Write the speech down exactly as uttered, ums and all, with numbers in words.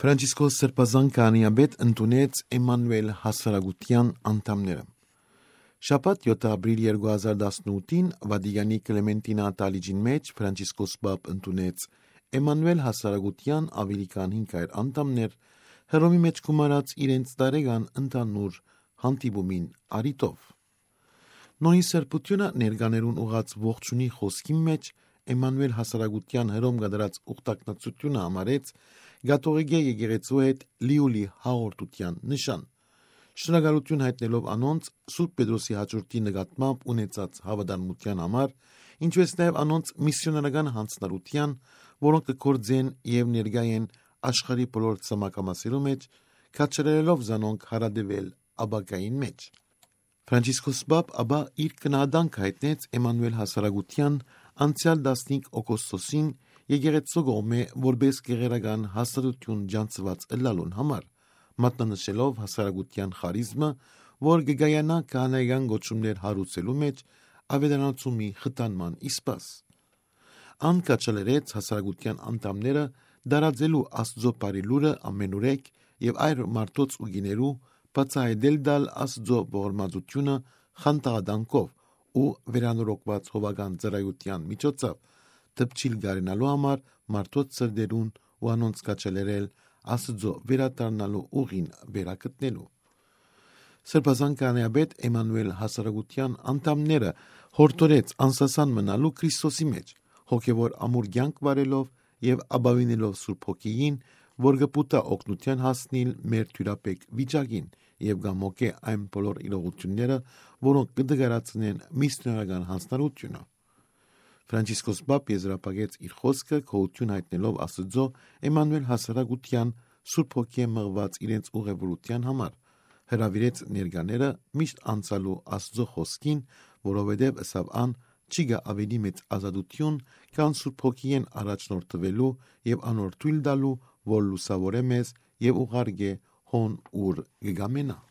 Ֆրանցիսկոս Սրբազան քահանայապետ ընդունեց Էմմանուէլ հասարակութեան անդամները։ Շաբաթ, յոթ ապրիլ երկու հազար տասնութին, Վատիկանի Կլեմենտինա Աթալիճին մէջ Ֆրանցիսկոս Պապ ընդունեց Էմմանուէլ հասարակութեան աւելի քան հինգ հարիւր անդամներ, Հռոմի մէջ գումարած իրենց տարեկան ընդհանուր հանդիպումին առիթով։ Նոյի սրբութիւնը ներկաներուն ուղղած ողջունի խօսքին մէջ Էմմանուէլ հասարակութեան Հռոմ կատարած ուխտակցութիւնը համարեց կաթողիկէ եկեղեցու հետ լիուլի հաղորդութեան նշան։ Շնորհակալութիւն յայտնելով անոնց Սուրբ Պետրոսի յաջորդի նկատմամբ ունեցած հաւատարմութեան համար, ինչուէս նաեւ անոնց միսիոներական յանձնառութեան, որոնք կը գործեն եւ ներկայ են աշխարհի բոլոր ցամաքամասերու մէջ, քաջալերելով զանոնք յարատեւել ապագային մէջ։ Ֆրանցիսկոս Պապ ապա իր գնահատանքը յայտնեց Էմմանուէլ հասարակութեան անցեալ տասնհինգ օգոստոսին եկեղեցու կողմէ որպէս գեղերական հաստատութիւն ճանչցուած ըլլալուն համար, մատնանշելով հասարակութեան խարիզմը, որ կը կայանայ քահանայական կոչումներ հարուցելու մէջ, աւետարանացումի խթանման իսկ։ Ան քաջալերեց հասարակութեան անդամները տարածելու Աստուծոյ բարի լուրը ամենուրեք եւ այլ մարդոց ու կիներու, բացայայտել տալ Աստուծոյ ողորմածութիւնը խանդաղատանքով ու վերանորոգուած հովական ծառայութեան միջոցով դպչիլ կարենալու համար մարդոց սրտերուն ու անոնց քաջալերել Աստուծոյ վերադառնալու ուղին վերագտնելու։ Սրբազան քահանայապետ Էմմանուէլ հասարակութեան անդամները յորդորեց անսասան մնալու Քրիստոսի մէջ, հոգեւոր ամուր կեանք վարելով եւ ապաւինելով Սուրբ Հոգիին, որ կը պուտայ օգնութեան հասնիլ մեր թիւրաբեկ վիճակին եւ կամոկէ այն բոլոր իրողութիւնները, որոնք կը դգարացնեն միսիոներական յանձնառութիւնը։ Ֆրանցիսկոս Պապ եզրափակեց իր խօսքը գոհութիւն յայտնելով Աստուծոյ Էմմանուէլ հասարակութեան Սուրբ Հոգիէ մղուած իրենց ուղևորութեան համար, հրաւիրեց ներկաները միշտ անցալու Աստուծոյ խօսքին, որովհետեւ, ըսաւ ան, չի գայ աւելի մեծ ազատութիւն, քան Սուրբ Հոգիէն առաջնորդուելու եւ անոր թոյլ տալու, որ լուսաւորէ մեզ եւ ուղարկէ հոն, ուր կը կամենայ։